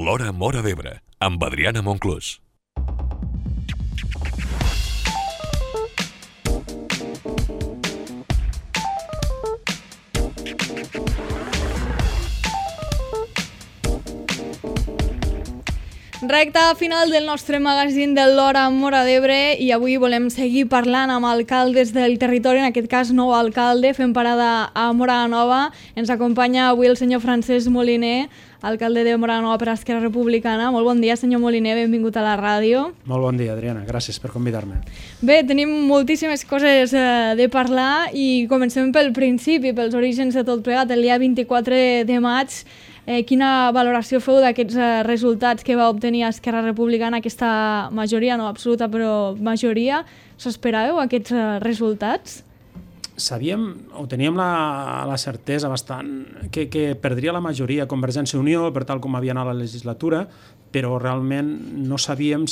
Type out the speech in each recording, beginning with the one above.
L'Hora Móra d'Ebre, amb Adriana Monclús. Recta final del nostre magazín de l'Hora Móra d'Ebre i avui volem seguir parlant amb alcaldes del territori, en aquest cas nou alcalde. Fem parada a Móra la Nova. Ens acompanya avui el senyor Francesc Moliner, alcalde de Móra la Nova per Esquerra Republicana. Molt bon dia, senyor Moliner, benvingut a la ràdio. Molt bon dia, Adriana, gràcies per convidar-me. Bé, tenim moltíssimes coses de parlar i comencem pel principi, pels orígens de tot plegat. El dia 24 de maig, quina valoració feu d'aquests resultats que va obtenir Esquerra Republicana, aquesta majoria, no absoluta, però majoria? S'esperàveu aquests resultats? Sabíem, o teníem la certesa bastant, que perdria la majoria Convergència i Unió, per tal com havia anat la legislatura, però realment no sabíem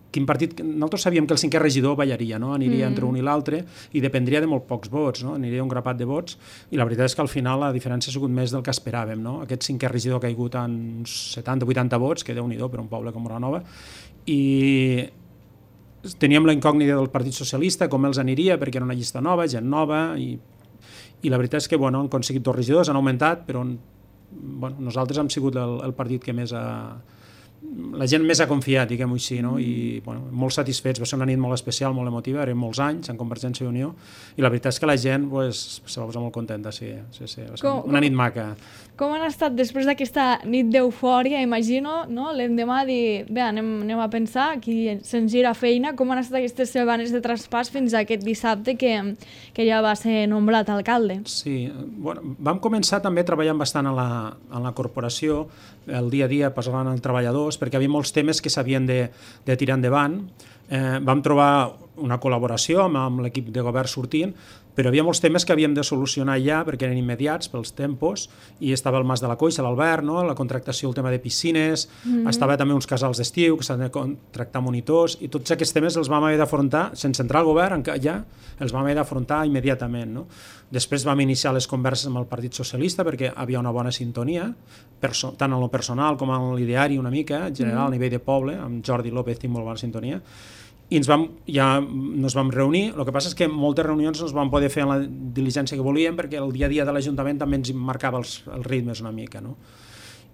quin partit. Nosaltres sabíem que el cinquè regidor ballaria, no? Aniria entre un i l'altre i dependria de molt pocs vots, no? Aniria un grapat de vots, i la veritat és que al final la diferència ha sigut més del que esperàvem, no? Aquest cinquè regidor ha caigut en 70-80 vots, que Déu-n'hi-do per un poble com Móra la Nova, i teníem la incògnita del Partit Socialista, com els aniria, perquè era una llista nova, gent nova, i la veritat és que han aconseguit 2 regidors, han augmentat, però nosaltres hem sigut el partit que més la gent més ha confiat, diguem-ho així, no? I molt satisfets. Va ser una nit molt especial, molt emotiva, eren molts anys en Convergència i Unió, i la veritat és que la gent se va posar molt contenta, sí. Va ser una nit maca. Com han estat després d'aquesta nit d'eufòria, imagino, no? L'endemà dir, bé, anem a pensar, aquí se'ns gira feina. Com han estat aquestes setmanes de traspàs fins a aquest dissabte que ja va ser nombrat alcalde? Sí, vam començar també treballant bastant a la corporació, el dia a dia parlant amb treballadors, perquè hi havia molts temes que s'havien de tirar endavant. Vam trobar una col·laboració amb l'equip de govern sortint, però hi havia molts temes que havíem de solucionar ja perquè eren immediats pels tempos, i estava el Mas de la Coixa, l'Albert, no? La contractació, el tema de piscines, estava també uns casals d'estiu que s'han de contractar monitors, i tots aquests temes els vam haver d'afrontar, sense entrar al govern, ja els vam haver d'afrontar immediatament, no? Després vam iniciar les converses amb el Partit Socialista perquè havia una bona sintonia, tant en lo personal com en l'ideari una mica, en general a nivell de poble, amb Jordi López tinc molt bona sintonia, i ens vam reunir. El que passa és que moltes reunions no es van poder fer en la diligència que volíem perquè el dia a dia de l'Ajuntament també ens marcava els ritmes una mica, no?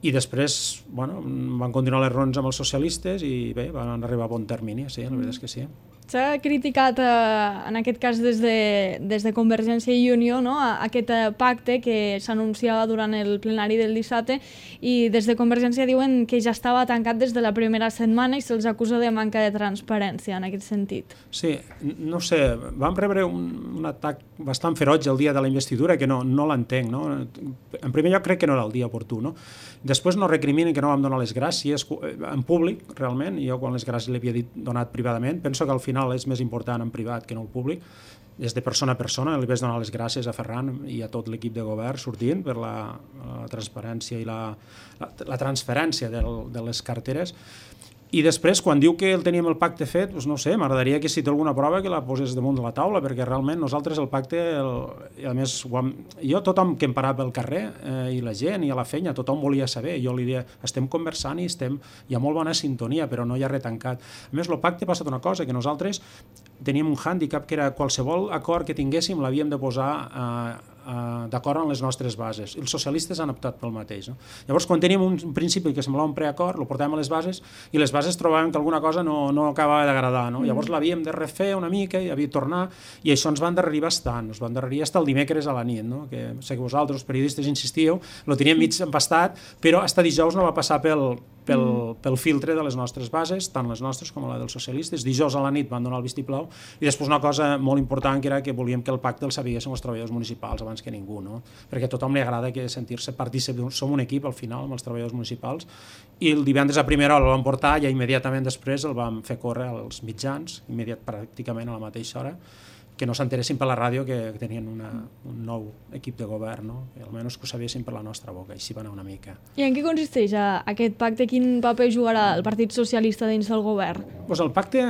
I després van continuar les reunions amb els socialistes i bé, van arribar a bon termini, sí, la veritat és que sí. S'ha criticat, en aquest cas des de Convergència i Unió, no? Aquest pacte que s'anunciava durant el plenari del dissabte, i des de Convergència diuen que ja estava tancat des de la primera setmana i se'ls acusa de manca de transparència en aquest sentit. Sí, no sé, vam rebre un atac bastant ferotge el dia de la investidura que no l'entenc, no? En primer lloc crec que no era el dia oportú, no? Després no recriminen que no vam donar les gràcies en públic, realment, jo quan les gràcies l'havia donat privadament, penso que al final és més important en privat que no en públic, des de persona a persona. Li vaig donar les gràcies a Ferran i a tot l'equip de govern sortint per la transparència i la transferència de les carteres. I després, quan diu que teníem el pacte fet, no sé, m'agradaria que si té alguna prova que la posés damunt de la taula, perquè realment nosaltres el pacte, i a més, tothom que em parava pel carrer, i la gent, i a la feina, tothom volia saber. Jo li deia, estem conversant i hi ha molt bona sintonia, però no hi ha res tancat. A més, el pacte ha passat una cosa, que nosaltres teníem un hàndicap, que era qualsevol acord que tinguéssim l'havíem de posar d'acord amb les nostres bases. Els socialistes han optat pel mateix, no? Llavors, quan teníem un principi que semblava un preacord, el portàvem a les bases, i les bases trobàvem que alguna cosa no acabava d'agradar, no? Llavors l'havíem de refer una mica i havia de tornar, i això ens va endarrerir bastant, ens va endarrerir fins el dimecres a la nit, no? Que sé que vosaltres, els periodistes, insistíeu, lo teníem mig empastat, però fins dijous no va passar pel filtre de les nostres bases, tant les nostres com la dels socialistes. Dijous a la nit van donar el vistiplau, i després una cosa molt important, que era que volíem que el pacte el sabessin els treballadors municipals abans que ningú, no? Perquè a tothom li agrada sentir-se partícip, som un equip al final amb els treballadors municipals, i el divendres a primera hora el vam portar, i immediatament després el vam fer córrer als mitjans, pràcticament a la mateixa hora, que no s'enteressin per la ràdio que tenien un nou equip de govern, no? Almenys que ho sabessin per la nostra boca, així va anar una mica. I en què consisteix aquest pacte? Quin paper jugarà el Partit Socialista dins del govern? Doncs el pacte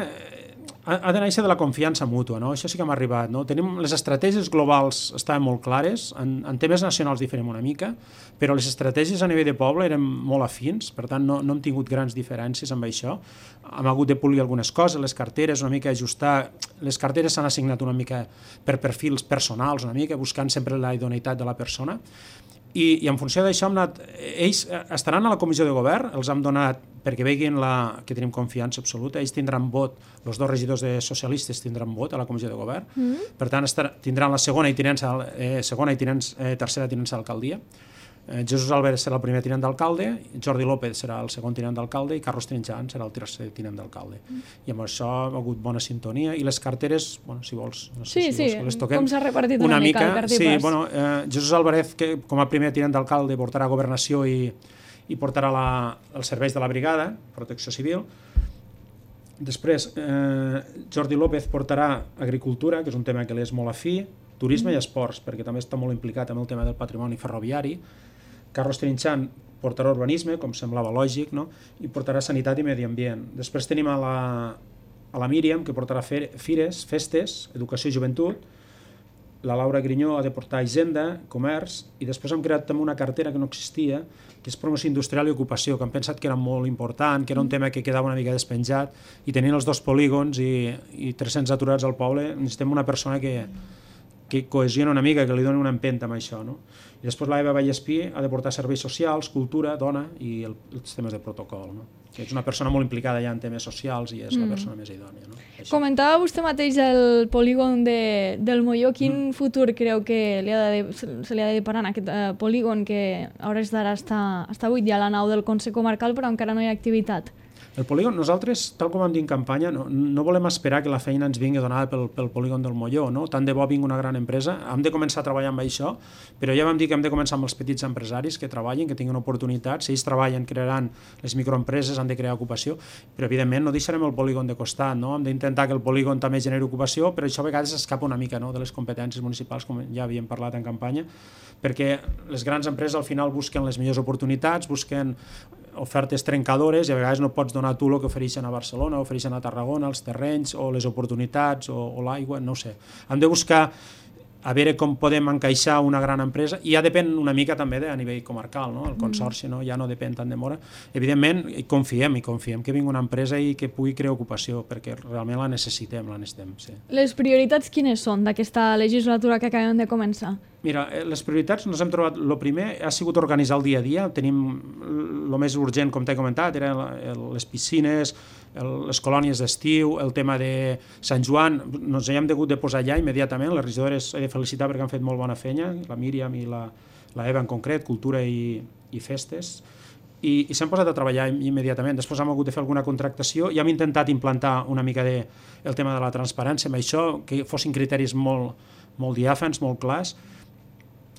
Ha de néixer de la confiança mútua, no? Això sí que m'ha arribat, no? Tenim les estratègies globals estaven molt clares, en temes nacionals diferim una mica, però les estratègies a nivell de poble eren molt afins, per tant no hem tingut grans diferències amb això. Hem hagut de polir algunes coses, les carteres, una mica ajustar, les carteres s'han assignat una mica per perfils personals, una mica buscant sempre la idoneïtat de la persona, i en funció d'això ells estaran a la comissió de govern, els hem donat perquè veguin que tenim confiança absoluta, ells tindran vot, els 2 regidors de socialistes tindran vot a la comissió de govern, per tant tindran la segona i tercera tinença d'alcaldia. Jesús Álvarez serà el primer tinent d'alcalde, Jordi López serà el segon tinent d'alcalde i Carlos Trinxant serà el tercer tinent d'alcalde. I amb això ha hagut bona sintonia i les carteres, si vols, no sé si les toquem. Com s'ha repartit una mica el cartipàs. Jesús Álvarez, que com a primer tinent d'alcalde portarà governació i portarà els serveis de la brigada, protecció civil. Després, Jordi López portarà agricultura, que és un tema que li és molt afí, turisme i esports, perquè també està molt implicat amb el tema del patrimoni ferroviari. Carlos Trinxant portarà urbanisme, com semblava lògic, no? I portarà sanitat i medi ambient. Després tenim a la Míriam, que portarà fires, festes, educació i joventut. La Laura Grinyó ha de portar hisenda, comerç, i després hem creat també una cartera que no existia, que és promoció industrial i ocupació, que hem pensat que era molt important, que era un tema que quedava una mica despenjat, i tenint els 2 polígons i 300 aturats al poble, necessitem una persona que cohesiona una mica, que li doni una empenta amb això, no? I després la Eva Vallespí ha de portar serveis socials, cultura, dona i els temes de protocol, no? Que és una persona molt implicada ja en temes socials i és la persona més idònia, no? Comentava vostè mateix el polígon del Molló. Quin futur creu que se li ha de deparar en aquest polígon que a hores d'ara està buit ja a la nau del Consell Comarcal però encara no hi ha activitat? El polígon, nosaltres, tal com vam dir en campanya, no volem esperar que la feina ens vingui donada pel polígon del Molló, no? Tant de bo vingui una gran empresa, hem de començar a treballar amb això, però ja vam dir que hem de començar amb els petits empresaris que treballin, que tinguin oportunitats, si ells treballen, crearan les microempreses, han de crear ocupació, però evidentment no deixarem el polígon de costat, no? Hem d'intentar que el polígon també generi ocupació, però això a vegades escapa una mica, no?, de les competències municipals, com ja havíem parlat en campanya, perquè les grans empreses al final busquen les millors oportunitats, busquen ofertes trencadores i a vegades no pots donar tu el que ofereixen a Barcelona, ofereixen a Tarragona, els terrenys o les oportunitats o l'aigua, no ho sé. Hem de buscar a veure com podem encaixar una gran empresa i ja depèn una mica també a nivell comarcal, no? El consorci ja no depèn tant de Móra. Evidentment, confiem que vingui una empresa i que pugui crear ocupació, perquè realment la necessitem, sí. Les prioritats quines són d'aquesta legislatura que acabem de començar? Mira, les prioritats ens hem trobat, el primer ha sigut organitzar el dia a dia, tenim el més urgent, com t'he comentat, eren les piscines, les colònies d'estiu, el tema de Sant Joan, ens hi hem hagut de posar allà immediatament, les regidores he de felicitar perquè han fet molt bona feina, la Míriam i la Eva en concret, cultura i festes, i s'han posat a treballar immediatament. Després hem hagut de fer alguna contractació i hem intentat implantar una mica el tema de la transparència amb això, que fossin criteris molt diàfans, molt clars.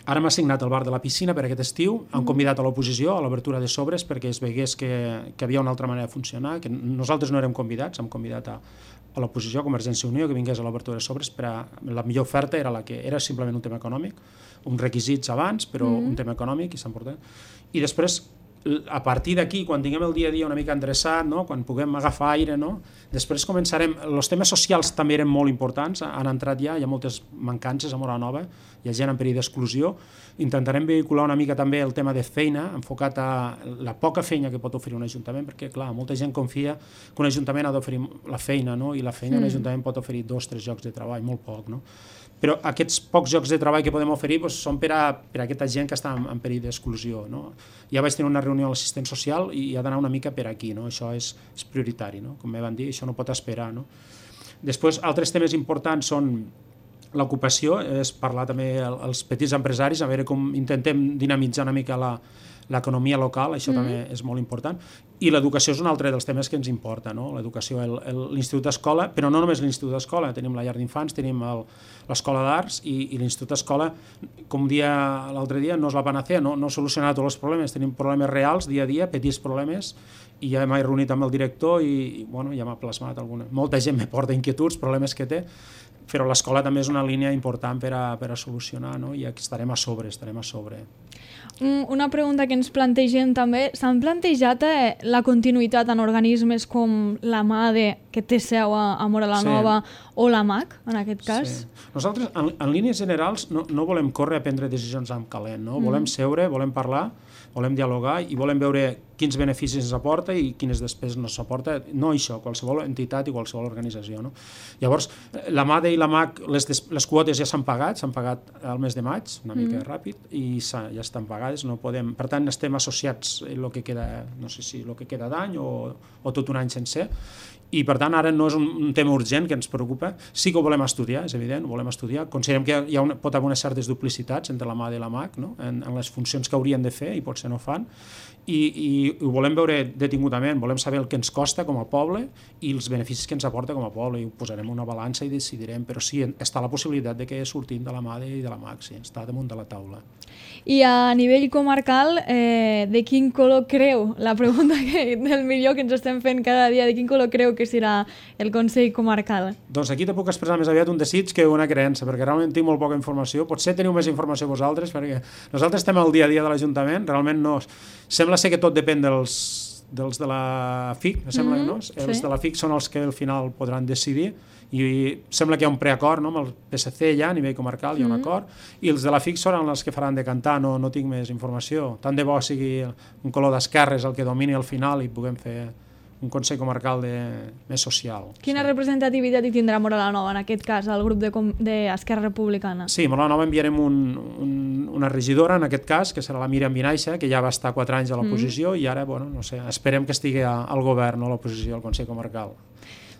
Ara m'ha assignat el bar de la piscina per aquest estiu, han convidat a l'oposició a l'obertura de sobres perquè es vegués que havia una altra manera de funcionar, que nosaltres no érem convidats, hem convidat a l'oposició, a Convergència i Unió, que vingués a l'obertura de sobres, la millor oferta era la que era simplement un tema econòmic, uns requisits abans, però un tema econòmic i s'ha portat. I després, a partir d'aquí, quan tinguem el dia a dia una mica endreçat, no? Quan puguem agafar aire, no? Després començarem... Els temes socials també eren molt importants, han entrat ja, hi ha moltes mancances a Móra Nova, hi ha gent en perill d'exclusió. Intentarem vehicular una mica també el tema de feina, enfocat a la poca feina que pot oferir un ajuntament, perquè, clar, molta gent confia que un ajuntament ha d'oferir la feina, no? I la feina un ajuntament pot oferir 2 o 3 llocs de treball, molt poc, no? Però aquests pocs llocs de treball que podem oferir són per a aquesta gent que està en perill d'exclusió, no? Ja vaig tenir una reunió amb l'assistent social i ha d'anar una mica per aquí, no? Això és prioritari, no? Com vam dir, això no pot esperar, no? Després, altres temes importants són l'ocupació, és parlar també als petits empresaris, a veure com intentem dinamitzar una mica l'economia local, això també és molt important, i l'educació és un altre dels temes que ens importa, no? L'educació, l'Institut d'Escola, però no només l'Institut d'Escola, tenim la llar d'infants, tenim l'Escola d'Arts i l'Institut d'Escola, com l'altre dia, no és la panacea, no solucionarà tots els problemes, tenim problemes reals, dia a dia, petits problemes, i ja m'he reunit amb el director i ja m'ha plasmat alguna. Molta gent me porta inquietuds, problemes que té, però l'escola també és una línia important per a solucionar, no? I estarem a sobre. Una pregunta que ens plantegem també, s'han plantejat la continuïtat en organismes com la MADE, que té seu a Móra la Nova, o la MAC, en aquest cas? Sí. Nosaltres, en línies generals, no volem córrer a prendre decisions amb calent, no? Volem seure, volem parlar, volem dialogar i volem veure quins beneficis ens aporta i quines despeses ens aporta, no això, qualsevol entitat i qualsevol organització. No? Llavors, la MADE i la MAC, les quotes ja s'han pagat al mes de maig, una mica ràpid, i ja estan pagades, no podem, per tant estem associats el que queda, no sé si el que queda d'any o tot un any sencer, i per tant ara no és un tema urgent que ens preocupa, sí que ho volem estudiar, és evident, ho volem estudiar, considerem que pot haver unes certes duplicitats entre la MADE i la MAC, no? en les funcions que haurien de fer i potser no fan, i ho volem veure detingudament, volem saber el que ens costa com a poble i els beneficis que ens aporta com a poble, i ho posarem en una balança i decidirem, però sí, està la possibilitat de que sortim de la MADE i de la MAC, sí, està damunt de la taula. I a nivell comarcal, de quin color creu, la pregunta del millor que ens estem fent cada dia, de quin color creu que serà el Consell Comarcal? Doncs aquí te puc expressar més aviat un desig que una creença, perquè realment tinc molt poca informació, potser teniu més informació vosaltres, perquè nosaltres estem al dia a dia de l'Ajuntament, realment no... Sembla ser que tot depèn dels de la FIC, sembla que no? Els de la FIC són els que al final podran decidir, i sembla que hi ha un preacord, no? Amb el PSC ja a nivell comarcal hi ha un acord, i els de la FIC seran els que faran de cantar, no tinc més informació. Tant de bo sigui un color d'esquerres el que domini al final i puguem fer un Consell Comarcal més social. Quina representativitat hi tindrà Móra la Nova, en aquest cas, el grup d'Esquerra Republicana? Sí, a Móra la Nova enviarem una regidora, en aquest cas, que serà la Míriam Vinaixa, que ja va estar 4 anys a l'oposició i ara, no sé, esperem que estigui al govern, no a l'oposició, al Consell Comarcal.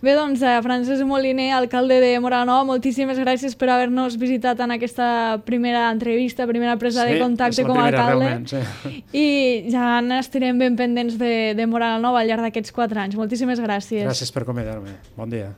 Bé, doncs, Francesc Moliner, alcalde de Móra la Nova, moltíssimes gràcies per haver-nos visitat en aquesta primera entrevista, primera presa de contacte com a alcalde. Sí. I ja n'estarem ben pendents de Móra la Nova al llarg d'aquests 4 anys. Moltíssimes gràcies. Gràcies per convidar-me. Bon dia.